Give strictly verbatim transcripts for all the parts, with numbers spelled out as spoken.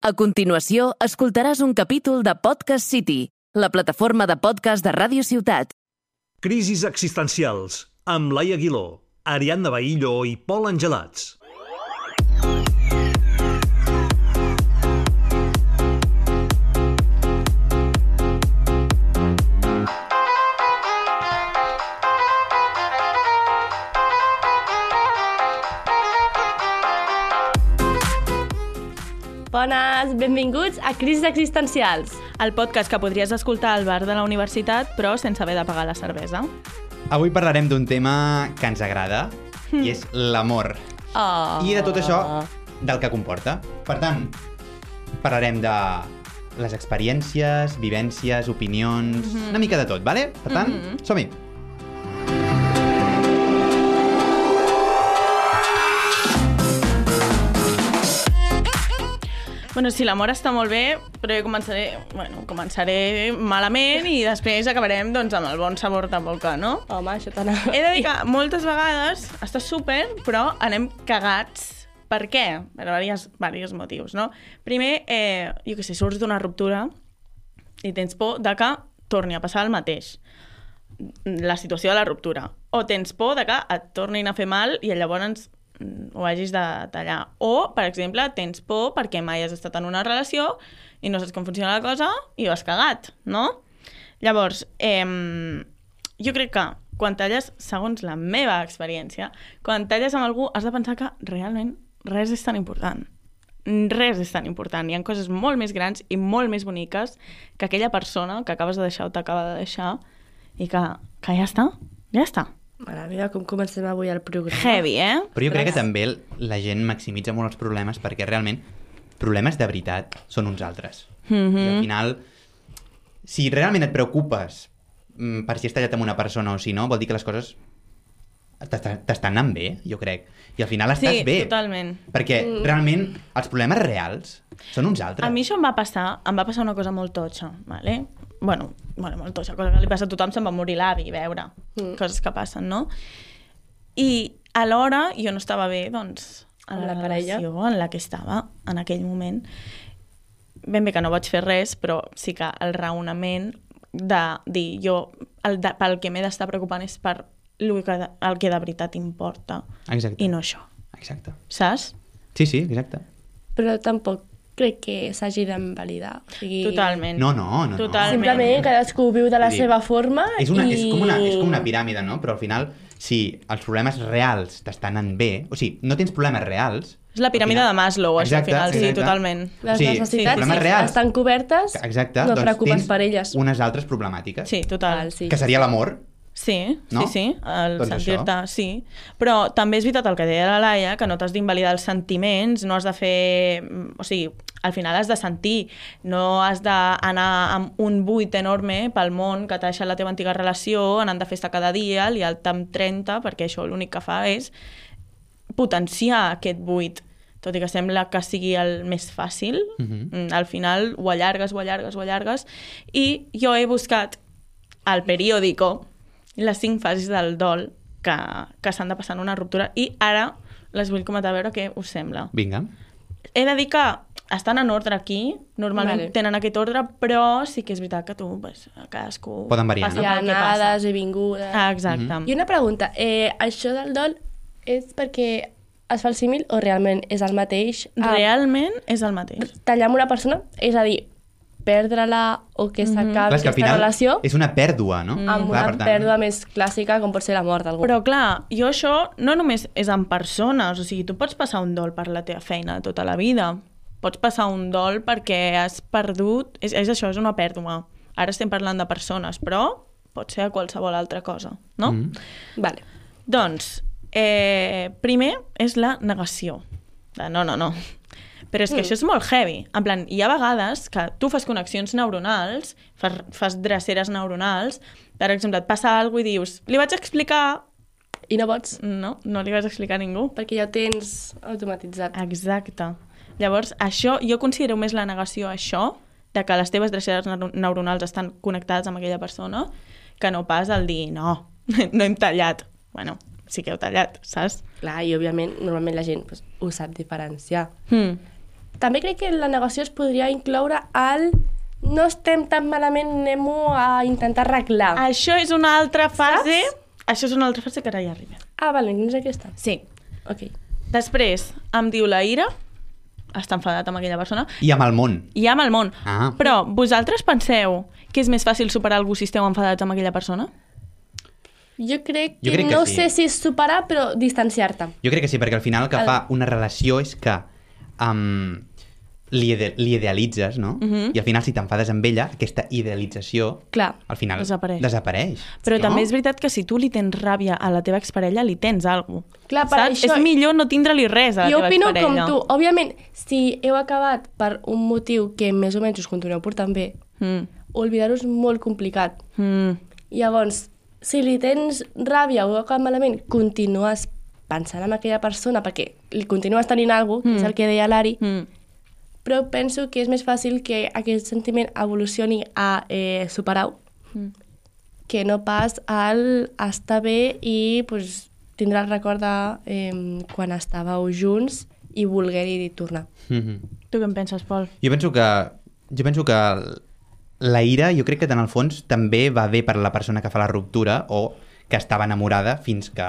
A continuació, escoltaràs un capítol de Podcast City, la plataforma de podcast de Ràdio Ciutat. Crisis existencials, amb Laia Aguiló, Ariadna Bahillo i Pol Angelats. Bones, benvinguts a Crisis Existencials. El podcast que podries escoltar al bar de la universitat, però sense haver de pagar la cervesa. Avui parlarem d'un tema que ens agrada, mm. i és l'amor. Oh. I de tot això, del que comporta. Per tant, parlarem de les experiències, vivències, opinions, mm-hmm. una mica de tot, vale? Per tant, mm-hmm. som-hi! Bueno, sí, l'amor està molt bé, però jo començaré, bueno, començaré malament i després acabarem doncs, amb el bon sabor de boca, no? Home, això t'anava. He de dir que moltes vegades està súper, però anem cagats. Per què? Per diversos, diversos motius, no? Primer, eh, jo què sé, surts d'una ruptura i tens por de que torni a passar el mateix. La situació de la ruptura. O tens por de que et tornin a fer mal i llavors ho hagis de tallar. O, per exemple, tens por perquè mai has estat en una relació i no saps com funciona la cosa i ho has cagat, no? Llavors, eh, jo crec que quan talles, segons la meva experiència, quan talles amb algú has de pensar que realment res és tan important. Res és tan important. Hi ha coses molt més grans i molt més boniques que aquella persona que acabes de deixar o t'acaba de deixar i que, que ja està, ja està. Mare meva, com comencem avui el programa. Heavy, eh? Però jo crec que també la gent maximitza molt els problemes perquè realment problemes de veritat són uns altres. Mm-hmm. I al final, si realment et preocupes per si has tallat amb una persona o si no, vol dir que les coses t'estan anant bé, jo crec. I al final estàs sí, bé. Sí, totalment. Perquè realment els problemes reals són uns altres. A mi això em va passar, em va passar una cosa molt totxa, vale? Bueno, bueno, molt totxa, cosa que li passa a tothom, se'n va morir l'avi, veure, mm. coses que passen, no? I alhora jo no estava bé, doncs, en la, la relació en la que estava en aquell moment. Ben bé que no vaig fer res, però sí que el raonament de dir jo, el de, pel que m'he d'estar preocupant és per el que, de, el que de veritat importa. Exacte. I no això. Exacte. Saps? Sí, sí, exacte. Però tampoc crec que s'hagi d'invalidar. O sigui... Totalment. No, no, no. Totalment. Simplement cadascú viu de la dir, seva forma és una, i... És com, una, és com una piràmide, no? Però al final, si els problemes reals t'estan anant bé, o sigui, no tens problemes reals... És la piràmide final, de Maslow, això, exacte, al final, exacte. sí, totalment. Les o sigui, necessitats problemes reals, estan cobertes, exacte, no et doncs preocupes tens per elles. unes altres problemàtiques, Sí, total. Val, sí. que seria l'amor. Sí, no? sí, sí, el doncs sentir-te, sí. Però també és veritat el que deia la Laia, que no t'has d'invalidar els sentiments, no has de fer... O sigui, al final has de sentir, no has d'anar amb un buit enorme pel món que t'ha deixat la teva antiga relació, anant de festa cada dia, liar-te amb trenta, perquè això l'únic que fa és potenciar aquest buit. Tot i que sembla que sigui el més fàcil, mm-hmm. al final ho allargues, ho allargues, ho allargues, i jo he buscat al periòdico les cinc fases del dol que, que s'han de passar en una ruptura i ara les vull comentar a veure què us sembla. Vinga. He de dir que estan en ordre aquí, normalment vale. Tenen aquest ordre, però sí que és veritat que tu, pues, cadascú... Poden variar, passa Hi ha pel que anades passa. i vingudes. Ah, exacte. Mm-hmm. I una pregunta, eh, això del dol és perquè es fa el símil o realment és el mateix? Ah, Realment és el mateix. tallar amb una persona, és a dir, perdre-la o que s'acabi Clar, és que al aquesta final relació és una pèrdua, no? amb Clar, una per tant, pèrdua més clàssica com pot ser la mort d'algú. Però clar, jo això no només és en persones, o sigui, tu pots passar un dol per la teva feina tota la vida, pots passar un dol perquè has perdut, és, és això, és una pèrdua. Ara estem parlant de persones, però pot ser a qualsevol altra cosa, no? Mm. Vale. Doncs, eh, primer és la negació. De, no, no, no. Però és que mm. això és molt heavy. En plan, hi ha vegades que tu fas connexions neuronals, fas, fas dreceres neuronals, per exemple, et passa alguna cosa i dius, li vaig explicar... I no pots, No, no li vas explicar a ningú. perquè ja ho tens automatitzat. Exacte. Llavors, això, jo considero més la negació això, de que les teves dreceres neu- neuronals estan connectades amb aquella persona, que no pas el dir, no, no hem tallat. Bueno, sí que heu tallat, saps? Clar, i òbviament, normalment la gent pues, ho sap diferenciar. Mm. també crec que la negació es podria incloure al no estem tan malament, anem-ho a intentar arreglar. Això és una altra fase... Saps? Això és una altra fase que ara ja arribem. Ah, vale, no és aquesta. Sí. Ok. Després em diu la ira, està enfadat amb aquella persona, I amb el món. i amb el món. Ah. Però vosaltres penseu que és més fàcil superar algú si esteu enfadats amb aquella persona? Jo crec que, Jo crec que no sí. sé si és superar, però distanciar-te. Jo crec que sí, perquè al final el que El- fa una relació és que um, li, ide li idealitzes, no? Mhm. I al final, si t'enfades amb ella, aquesta idealització, Clar. al final Desapareix. desapareix Però no? també és veritat que si tu li tens ràbia a la teva exparella, li tens alguna cosa. Clar, per Saps? això- És millor no tindre-li res a la Jo teva opino com exparella. tu. Òbviament, si heu acabat per un motiu que més o menys us continueu portant bé, Mm. oblidar-ho és molt complicat. Mm. Llavors, si li tens ràbia o heu acabat malament, continues pensant en aquella persona perquè li continues tenint alguna cosa, que és el que deia l'Ari, Mm. però penso que és més fàcil que aquest sentiment evolucioni a eh, superar-ho Mm. que no pas al estar bé i pues, tindrà el record de eh, quan estàveu junts i voler-hi tornar. Mhm. Tu què en penses, Pol? Jo penso que jo penso que la ira, jo crec que en el fons també va bé per la persona que fa la ruptura o que estava enamorada fins que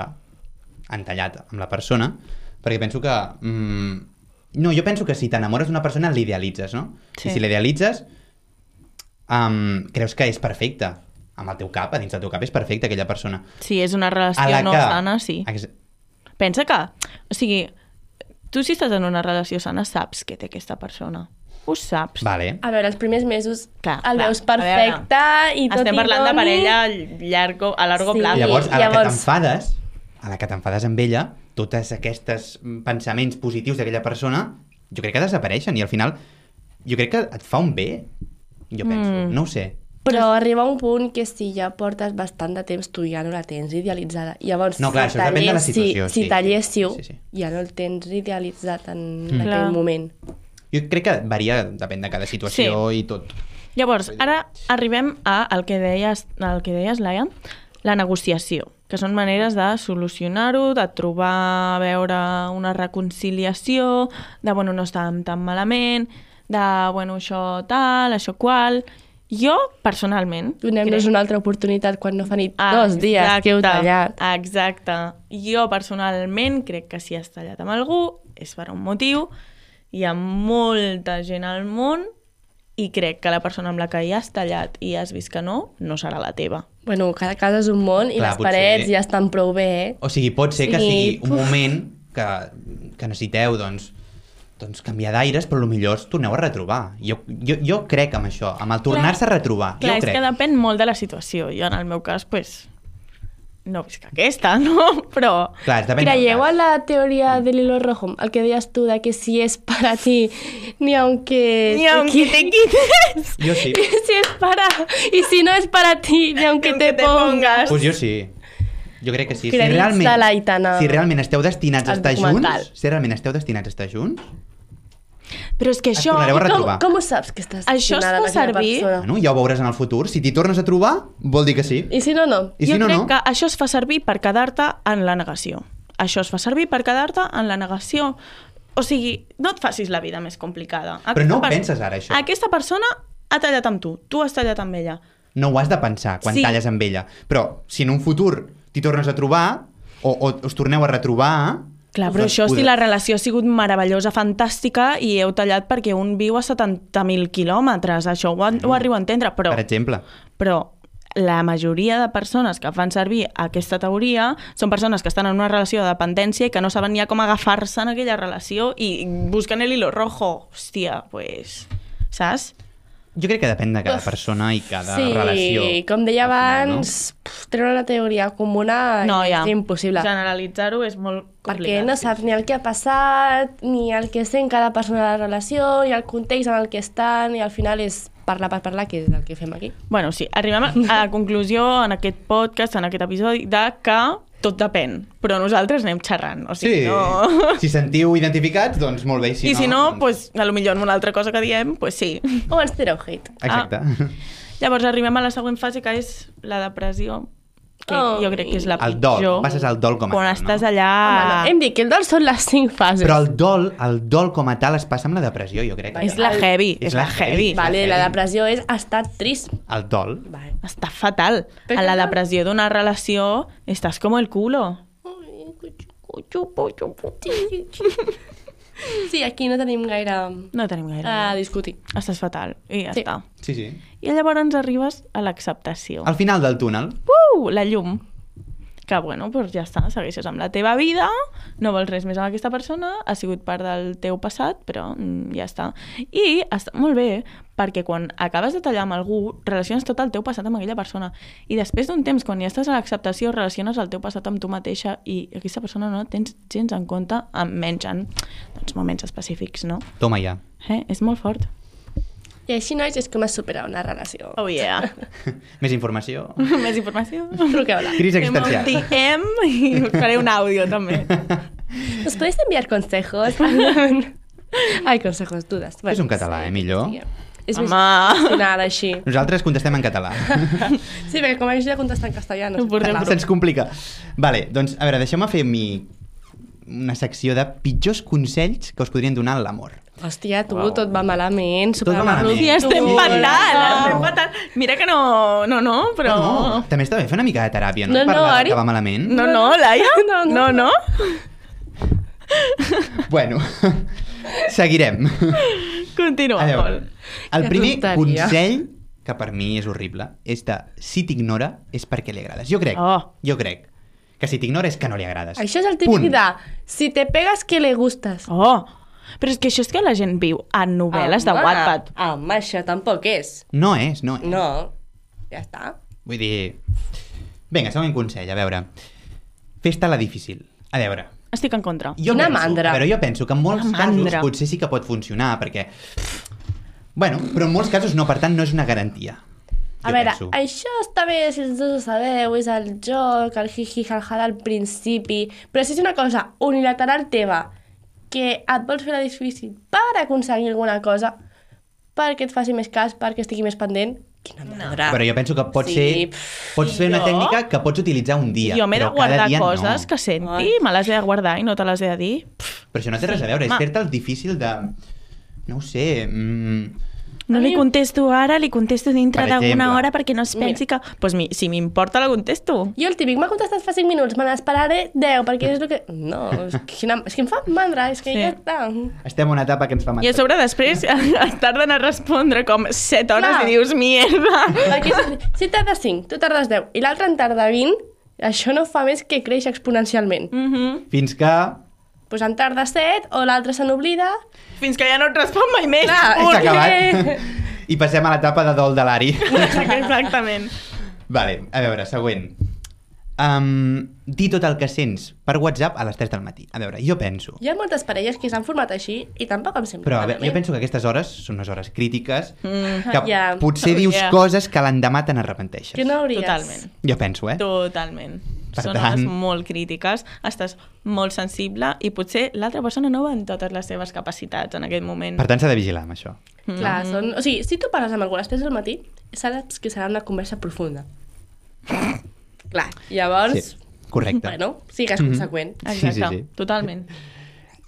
han tallat amb la persona, perquè penso que mm, no, jo penso que si t'enamores d'una persona l'idealitzes, no? Sí. I si l'idealitzes um, creus que és perfecte amb el teu cap, a dins del teu cap és perfecta aquella persona. Si és una A relació la no que... sana, sí. Ex- Pensa que, o sigui, tu si estàs en una relació sana saps què té aquesta persona. Ho saps. Vale. A veure, els primers mesos Clar, el clar. veus A perfecte i tot Estem i parlant de doni- parella llargo, a largo Sí. plazo. Llavors, a la que llavors- t'enfades, a la que t'enfades amb ella, totes aquests pensaments positius d'aquella persona, jo crec que desapareixen i al final jo crec que et fa un bé, jo penso, Mm. no ho sé. Però arriba un punt que si ja portes bastant de temps tu ja no la tens idealitzada. Llavors, No, clar, si això depèn de la talléssiu- situació, Si sí, talléssiu, sí, sí, sí. ja no el tens idealitzat en Mm. aquell Clar. moment. Jo crec que varia, depèn de cada situació i tot. Llavors, ara arribem a el que deies, el que deies, Laia, la negociació, que són maneres de solucionar-ho, de trobar, a veure, una reconciliació, de, bueno, no estàvem tan malament, de, bueno, això tal, això qual... Jo, personalment... Donem-nos crec- una altra oportunitat quan no fa ni Ah, dos dies que heu tallat. Exacte. Jo, personalment, crec que si has tallat amb algú és per un motiu. Hi ha molta gent al món i crec que la persona amb la que ja has tallat i has vist que no, no serà la teva. Bueno, cada casa és un món i Clar, les potser- parets ja estan prou bé, eh? O sigui, pot ser que Sí. sigui un moment que, que necessiteu, doncs, doncs canviar d'aires, però potser us torneu a retrobar. Jo, jo, jo crec amb això, amb el tornar-se a retrobar. Clar, jo és crec. que depèn molt de la situació. Jo, en el meu cas, pues, no visc aquesta, no? Però... Clar, depèn del Creieu cas. en la teoria del hilo rojo? El que deies tu de que si és para ti, ni aunque... Ni aunque te quites. Jo sí. Si es para... Y si no es para ti, ni aunque, Aunque te, te pongas. pongas. Pues jo sí. Jo crec que sí. Si Crèdits realment, de l'Aitana si realment esteu destinats a al estar documental. junts, si realment esteu destinats a estar junts, Però és que Es això... tornareu a Com, retrobar. com ho saps que estàs Això es destinada fa a aquella servir- persona? bueno, ja ho veuràs en el futur. Si t'hi tornes a trobar, vol dir que sí. I si no, no. I jo si no, crec no. que això es fa servir per quedar-te en la negació. Això es fa servir per quedar-te en la negació. O sigui, no et facis la vida més complicada. Però no ho per- penses ara, això. Aquesta persona ha tallat amb tu, tu has tallat amb ella. No ho has de pensar quan Sí. talles amb ella. Però si en un futur t'hi tornes a trobar o, o us torneu a retrobar... Clar, però doncs això si podrà- la relació ha sigut meravellosa, fantàstica, i heu tallat perquè un viu a setanta mil quilòmetres, això ho, ho arribo a entendre, però, Per exemple. però la majoria de persones que fan servir aquesta teoria són persones que estan en una relació de dependència i que no saben ni a com agafar-se en aquella relació i busquen el hilo rojo. Hòstia, pues... Saps? Jo crec que depèn de cada Uf. persona i cada Sí, relació. com deia al final, abans, pf, treure una teoria comuna No, ja. és impossible. Generalitzar-ho és molt Perquè complicat. no saps ni el que ha passat, ni el que sent cada persona de la relació, ni el context en el que estan, i al final és parlar per parlar, que és el que fem aquí. Bueno, sí, arribem a a la conclusió en aquest podcast, en aquest episodi, de que tot depèn, però nosaltres anem xerrant. O sigui, Sí, no... si sentiu identificats, doncs molt bé. Si I si no, doncs... pues, a lo millor en una altra cosa que diem, pues sí. O ens tireu hate. Exacte. Llavors arribem a la següent fase, que és la depressió. que Oh. jo crec que és la El dol, pitjor. passes el dol com a Quan tal, estàs no? allà... Home, no. Hem dit que el dol són les cinc fases. Però el dol, el dol com a tal es passa amb la depressió, jo crec. És la heavy, és la heavy. Vale, heavy. la depressió és estar trist. El dol. Vale. Està fatal. Per A la què? depressió d'una relació estàs com el culo. Sí, aquí no tenim gaire No tenim gaire. a discutir. Estàs fatal. I ja Sí. està. Sí, sí. I llavors arribes a l'acceptació. Al final del túnel. Uh, la llum. Que, bueno, doncs ja està, segueixes amb la teva vida, no vols res més amb aquesta persona, ha sigut part del teu passat, però mm, ja està. I està molt bé, perquè quan acabes de tallar amb algú, relaciones tot el teu passat amb aquella persona. I després d'un temps, quan ja estàs a l'acceptació, relaciones el teu passat amb tu mateixa i aquesta persona no tens gens en compte, menys en doncs, moments específics, no? Toma ja. Eh? És molt fort. I així, nois, és com es supera una relació. Oh, yeah. Més informació. Més informació. Truqueu-la. Crisi existencial. D M i us faré un àudio, també. ¿Nos podéis enviar consejos? Ai, consejos, dudes. Bueno, És un català, eh, millor? Sí, és més Home. emocional, així. Nosaltres contestem en català. Sí, perquè com això ja contesta en castellà, no Ho sé portem parlar. Se'ns complica. Vale, doncs, a veure, deixeu-me fer mi... una secció de pitjors consells que us podrien donar l'amor. Hòstia, tu, tot va malament. Tot va malament. I estem Sí. fatal, estem fatal. Mira que no, no, no, però... No, no, també està bé fer una mica de teràpia, no? No, I no, parlar Ari. que va malament. No, no, Laia? No, No, no. no? Bueno, seguirem. Continua, A veure, Pol. el Que primer tonteria. consell, que per mi és horrible, és de si t'ignora és perquè li agrades. Jo crec, Oh. jo crec que si t'ignora és que no li agrades. Això és el típic Punt. de si te pegas que le gustas. Oh, però és que això és que la gent viu a novel·les de Home, Wattpad. Home, això tampoc és. No és, no és. No, ja està. Vull dir... Vinga, següent consell, a veure. Fes-te-la difícil. A veure, Estic en contra. jo Quina penso, mandra. a veure, jo penso que en molts Quina casos mandra. potser sí que pot funcionar, perquè... Bueno, però en molts casos no, per tant no és una garantia. A Jo veure, penso. això està bé si els dos ho sabeu, és el joc, el hi-hi, ha-ha al principi, però si és una cosa unilateral teva, que et vols fer la difícil per aconseguir alguna cosa, perquè et faci més cas, perquè estigui més pendent, quina mandra. Però jo penso que pot Sí, ser... pff, Pots fer una jo- tècnica que pots utilitzar un dia, Jo m'he de però cada guardar dia coses no. que senti, Ai. me les he de guardar i no te les he de dir. Pff, Però això no té res a veure, és home. fer-te el difícil de... No ho sé... Mm, No A li mi- contesto ara, li contesto dintre Per d'alguna exemple. hora perquè no es pensi que... Doncs pues mi, si m'importa, la contesto. Jo el típic, m'ha contestat fa cinc minuts, me n'esperaré deu, perquè és el que... No, és que, quina... és que em fa mandra, és que Sí. ja està. estem en una etapa que ens fa I a mandra. sobre després et tarden a respondre com set hores Clar. i dius, mierda. Perquè si, si tardes cinc, tu tardes deu, i l'altre en tarda vint, això no fa més que créixer exponencialment. Mm -hmm. Fins que... Pues en tarda set, o l'altre se n'oblida... Fins que ja no et respon mai més. Clar, S'ha és que- acabat. I passem a l'etapa de dol de l'Ari. Exactament. Vale, a veure, següent. Um, dir tot el que sents per WhatsApp a les tres del matí. A veure, jo penso... Hi ha moltes parelles que s'han format així i tampoc em sembla Però a veure, malament. jo penso que aquestes hores són unes hores crítiques Mm. que Ja. potser Oh, dius yeah. coses que l'endemà te n'arrepenteixes. Que no hauries. Totalment. Jo penso, eh? Totalment. Per Són tant- hores molt crítiques, estàs molt sensible i potser l'altra persona no va en totes les seves capacitats en aquell moment. Per tant, s'ha de vigilar amb això. Clar, són... O sigui, si tu parles amb algú a les tres del matí, saps que serà una conversa profunda. Clar, llavors... Sí, correcte. Bueno, sigues Mhm. conseqüent. Exacte, Sí, sí, sí. totalment.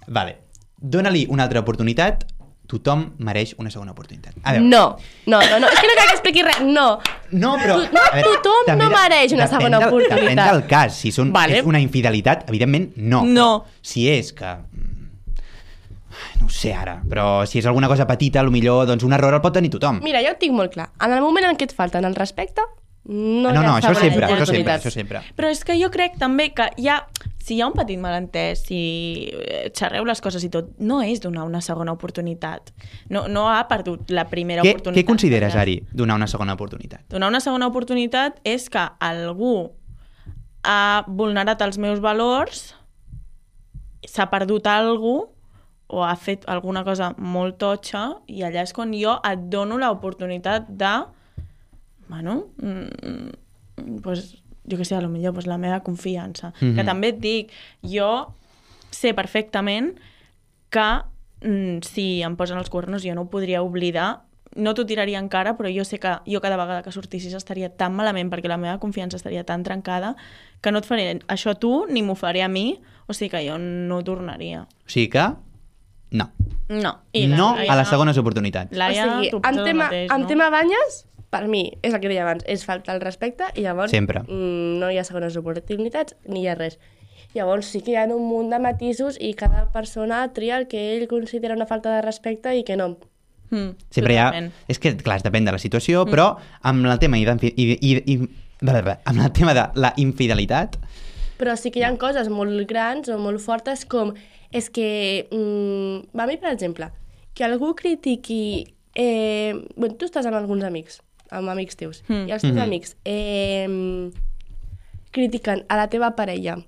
Vale. Dóna-li una altra oportunitat. Tothom mereix una segona oportunitat. A veure. No, no, no, no, és que no cal que expliqui res, no. No, però... Tu- no, a veure, tothom també no de- mereix una depèn segona del- oportunitat. Depèn del cas. Si són, Vale. és una infidelitat, evidentment, no. No. Però si és que... No ho sé ara, però si és alguna cosa petita, millor doncs un error el pot tenir tothom. Mira, jo ho tinc molt clar. En el moment en què et falten el respecte, no, Ah, no, hi ha no, això segones sempre, això sempre, oportunitats. això sempre. Però és que jo crec també que hi ha, si hi ha un petit malentès, si eh, xerreu les coses i tot, no és donar una segona oportunitat. No, no ha perdut la primera Què, oportunitat. què consideres, allà. Ari, donar una segona oportunitat? Donar una segona oportunitat és que algú ha vulnerat els meus valors, s'ha perdut alguna cosa, o ha fet alguna cosa molt totxa, i allà és quan jo et dono l'oportunitat de, bueno, mm, pues, jo què sé, a lo millor pues, la meva confiança. Mhm. Que també et dic, jo sé perfectament que mm, si em posen els cuernos jo no ho podria oblidar no t'ho tiraria en cara, però jo sé que jo cada vegada que sortissis estaria tan malament perquè la meva confiança estaria tan trencada que no et faré això a tu ni m'ho faré a mi, o sigui que jo no tornaria. O sigui que, no. No. I no Laia, a les segones oportunitats. Laia, o sigui, tu en penses el tema, mateix, en no? tema banyes, per mi, és el que deia abans, és falta el respecte i llavors Sempre. mm, no hi ha segones oportunitats ni hi ha res. Llavors sí que hi ha un munt de matisos i cada persona tria el que ell considera una falta de respecte i que no. Mm, Sempre hi ha... totalment. És que, clar, depèn de la situació, mm. però amb el tema, i, i, i, i, amb el tema de la infidelitat... Però sí que hi ha coses molt grans o molt fortes com és que, mm, a mi, per exemple, que algú critiqui... Eh, bueno, tu estàs amb alguns amics, amb amics teus, Mm. i els teus Mhm. amics eh, critiquen a la teva parella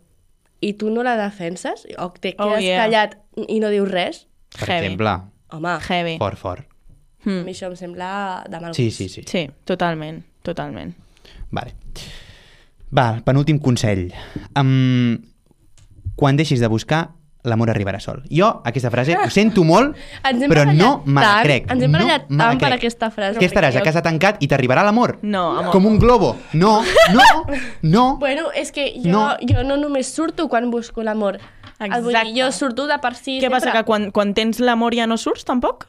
i tu no la defenses, o te Oh, quedes yeah. callat i no dius res, Per Heavy. exemple, home, Heavy. fort, fort. a Mm. mi això em sembla de mal Sí, gust. sí, sí. Sí, totalment, totalment. Vale. Va, penúltim consell. Um, quan deixis de buscar, l'amor arribarà sol. Jo, aquesta frase, ho sento molt, Ens hem però barallat no me la tant, crec. ens hem no barallat me la tant per crec. aquesta frase, Què estaràs perquè a jo- casa tancat i t'arribarà l'amor? No, amor. Com un globo. No, no, no. Bueno, és que jo No. no, jo no només surto quan busco l'amor. El Vull Exacte. dir, jo surto de per si Què sempre. passa, que quan, quan tens l'amor ja no surts, tampoc?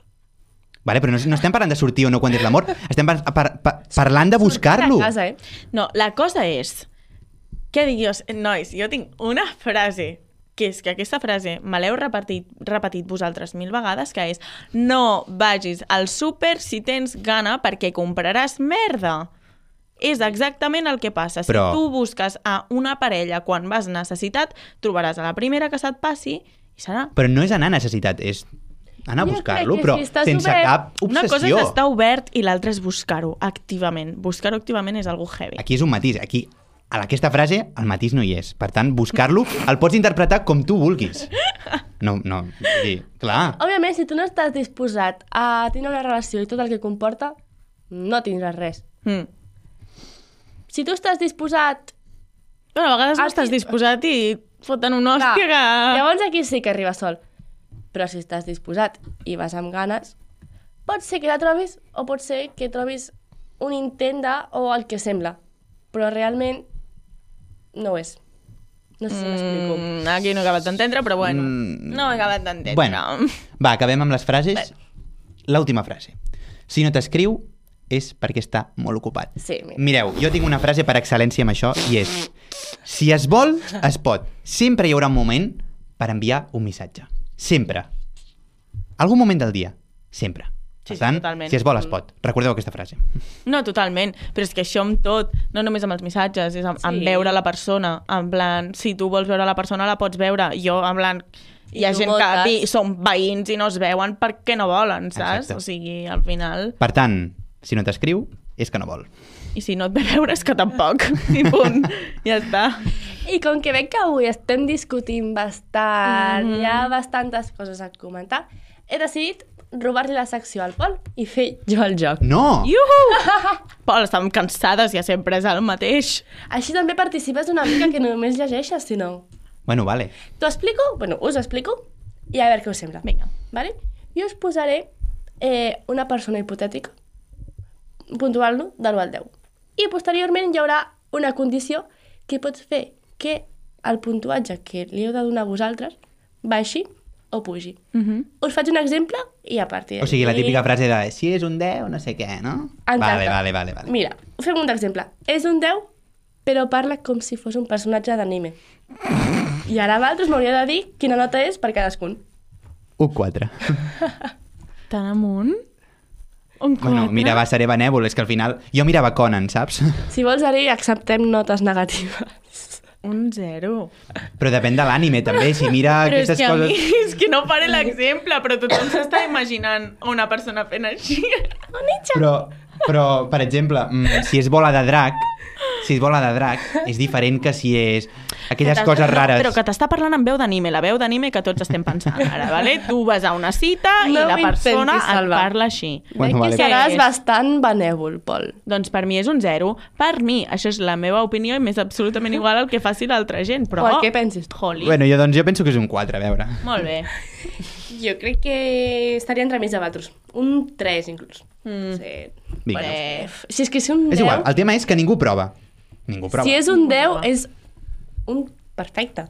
Vale, però no, no estem parlant de sortir o no quan és l'amor. Estem par par par parlant de Sortir buscar-lo. de casa, eh? No, la cosa és... Què dic jo? Nois, jo tinc una frase, que és que aquesta frase me l'heu repetit, repetit vosaltres mil vegades, que és no vagis al súper si tens gana perquè compraràs merda. És exactament el que passa. Però- Si tu busques a una parella quan vas necessitat, trobaràs a la primera que se't passi i serà. Però no és anar a necessitat, és anar a Jo buscar-lo, crec que però si estàs sense obert- cap Una cosa obsessió. és estar obert i l'altra és buscar-ho activament. Buscar-ho activament és algo heavy. Aquí és un matís. Aquí, a aquesta frase, el matís no hi és. Per tant, buscar-lo el pots interpretar com tu vulguis. No, no, vull dir, clar. Òbviament, si tu no estàs disposat a tenir una relació i tot el que comporta, no tindràs res. Mm. Si tu estàs disposat... Bueno, a vegades no Ah, estàs sí. disposat i et foten una Clar, hòstia que... llavors aquí sí que arriba sol. Però si estàs disposat i vas amb ganes, pot ser que la trobis o pot ser que trobis un intent de o el que sembla. Però realment no ho és. No sé si m'explico. Mm, aquí no he acabat d'entendre, però bueno, Mm. no he acabat d'entendre. Bueno, va, acabem amb les frases. L'última frase. Si no t'escriu, és perquè està molt ocupat. Sí, mira. Mireu, jo tinc una frase per excel·lència amb això i és: si es vol, es pot. Sempre hi haurà un moment per enviar un missatge. Sempre. Algun moment del dia. Sempre. Sí, Per tant, sí, totalment. si es vol, es pot. Recordeu aquesta frase. No, totalment. Però és que això amb tot, no només amb els missatges, és amb, Sí. amb veure la persona. En plan, si tu vols veure la persona, la pots veure. Jo, en plan, hi ha I tu gent que moltes. vi, són veïns i no es veuen perquè no volen, saps? Exacte. O sigui, al final... Per tant, si no t'escriu, és que no vol. I si no et ve veure és que tampoc. I punt. Ja està. I com que veig que avui estem discutint bastant, Mhm. hi ha bastantes coses a comentar, he decidit robar-li la secció al Pol i fer jo el joc. No! Iuhu! Pol, estàvem cansades, ja sempre és el mateix. Així també participes una mica que només llegeixes, si no. Bueno, vale. T'ho explico? Bueno, us explico i a veure què us sembla. Vinga. Vale? Jo us posaré eh, una persona hipotètica, puntuant-lo de l'u al deu. I posteriorment hi haurà una condició que pot fer que el puntuatge que li heu de donar a vosaltres baixi o pugi. Mhm. Us faig un exemple i a partir d'aquí... O sigui, la típica frase de si és un deu, no sé què, no? Exacte. Vale, vale, vale, vale. Mira, fem un exemple. És un deu, però parla com si fos un personatge d'anime. I ara vosaltres m'hauria de dir quina nota és per cadascun. un quatre. Tan amunt? Un Bueno, quatre? mira, va, seré benèvol, és que al final... Jo mirava Conan, saps? Si vols, Ari, acceptem notes negatives. Un zero. Però depèn de l'ànime, també. Si mira Però és aquestes que a mi, coses... és que no faré l'exemple, però tothom s'està imaginant una persona fent així. Però, però, per exemple, mm, si és bola de drac, si és bola de drac, és diferent que si és aquelles Que t'està- coses rares. No, però que t'està parlant amb veu d'anime, la veu d'anime que tots estem pensant ara, vale? Tu vas a una cita i No la persona m'intentis et salvar. parla així. Bueno, Veig vale. que seràs És- bastant benèvol, Pol. Doncs per mi és un zero. Per mi, això és la meva opinió i m'és absolutament igual al que faci l'altra gent, però... O el que pensis tu. Holy. Bueno, jo, doncs, jo penso que és un quatre, a veure. Molt bé. Jo crec que estaria entre mig de vosaltres. Un tres, inclús. Mm. Sí. Vinga. Bueno, si és que si un És deu... igual, el tema és que ningú prova. Ningú prova. Si és un deu, és un perfecte.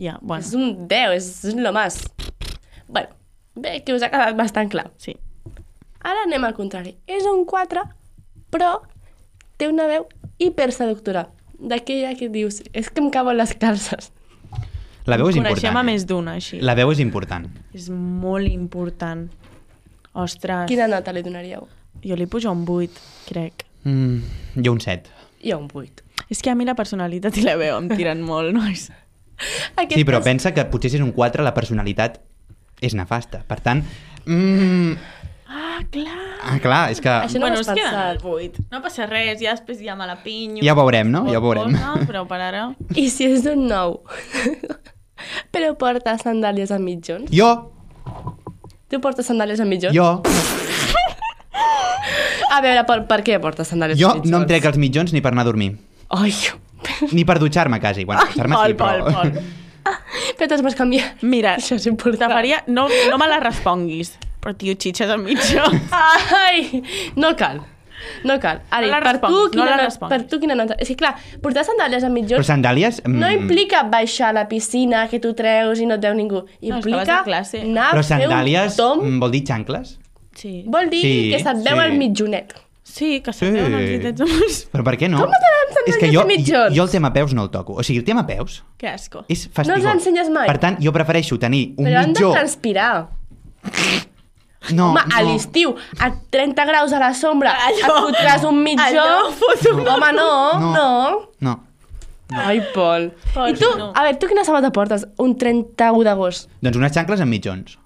Ja, bueno, És un deu, és, és lo más. Bueno, bé, que us ha quedat bastant clar. sí. Ara anem al contrari. És un quatre, però té una veu hiperseductora. D'aquella que dius, és que em cauen les calces. La veu és Coneixem important. a eh? més d'una, així. La veu és important. És molt important. Ostres. Quina nota li donaríeu? Jo li pujo un vuit, crec. Mm, jo un set. Jo un vuit. És que a mi la personalitat i la veu em tiren molt, nois. Aquestes... Sí, però pensa que potser si és un quatre la personalitat és nefasta. Per tant... Mm, Ah, clar. ah, clar, és que... Això no bueno, ho es has queda en el pensat. vuit. No passa res, ja després ja me la pinyo. Ja ho veurem, no? Ja ho veurem. Cosa, però per ara... I si és un nou? Però porta sandàlies amb mitjons? Jo, Tu portes sandàlies amb mitjons? jo, A veure, per, per què portes sandàlies jo amb mitjons? no em trec els mitjons ni per anar a dormir. Ai, Ni per dutxar-me, quasi. Bueno, dutxar-me sí, Pol, Pol, però... Pol. però te'ls vas canviar. Mira, Això és important. te faria... No, no me la responguis, però tio, xitxes al mitjà. Ai, no cal. No cal. Ari, No la per, tu, responguis, no quina la no- responguis. per tu quina nota? És que clar, portar sandàlies amb Però mitjons sandàlies... mm, no implica baixar a la piscina, que tu treus i no et veu ningú. és que vas Implica a classe. anar Però a fer un sandàlies tom. mm, vol dir xancles? Sí. Vol dir Sí, que se't veu sí. el mitjonet. Sí, que Sí. se'n veuen els ditets amors. Però per què no? Com t'agraden sandàlies És que jo, de mitjons? jo el tema peus no el toco. O sigui, el tema peus Que asco. és fastigós. No els ensenyes mai? Per tant, jo prefereixo tenir un Però han de mitjó... transpirar. No, Home, a no. l'estiu, a trenta graus a la sombra, Allò- et fotràs un mitjó. allò fot una- Home, no, No. no. No. Ai, Pol. Pol, I tu, no. a veure, tu quina sabata portes un trenta-u d'agost? Doncs unes xancles amb mitjons.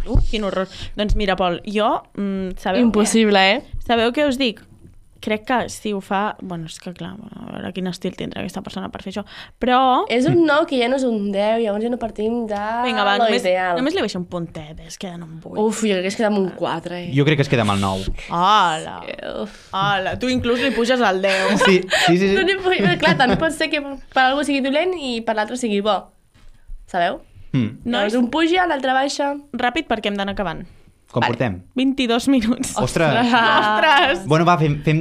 Uh, quin horror. Doncs mira, Pol, jo... Mm, sabeu Impossible, eh? Què? Sabeu què us dic? Crec que si ho fa... Bueno, és que clar, a veure quin estil tindrà aquesta persona per fer això. Però... És un nou que ja no és un deu, llavors ja no partim de Vinga, va, lo només, ideal. només li baixo un puntet, es queden en vuit. Uf, jo crec que es queda amb un quatre, eh? Jo crec que es queda amb el nou. Hola. Uf. Hola, tu inclús li puges al deu. Sí, sí, sí. No sí. n'hi puc... Però clar, també pot ser que per algú sigui dolent i per l'altre sigui bo. Sabeu? Mm. No, Llavors un puja, l'altre baixa... Ràpid perquè hem d'anar acabant. Com Vale. portem? vint-i-dos minuts. Ostres! Ostres! Bueno, va, fem, fem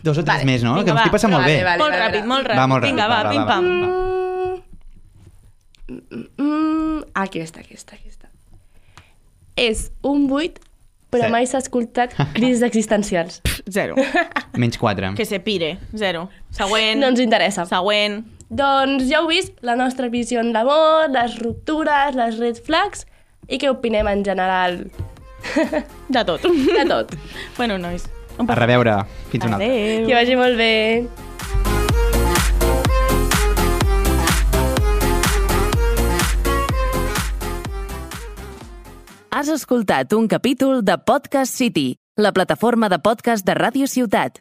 dos o tres Vale. més, no? Vinga, que m'estic va. passant molt Vale, bé. vale. Molt ràpid, molt ràpid. Va, molt ràpid, Vinga, va, va, va, pim-pam. Mm, mm, mm, aquesta, aquesta, aquesta. És un vuit, però Sí. mai s'ha escoltat crisis existencials. Zero. Menys quatre. Que se pire. Zero. Següent. No ens interessa. Següent. Doncs ja heu vist la nostra visió en l'amor, les ruptures, les red flags i què opinem en general De tot. de tot. Bueno, nois. Un A reveure. Fins una altra. Adéu. Que vagi molt bé. Has escoltat un capítol de Podcast City, la plataforma de podcast de Ràdio Ciutat.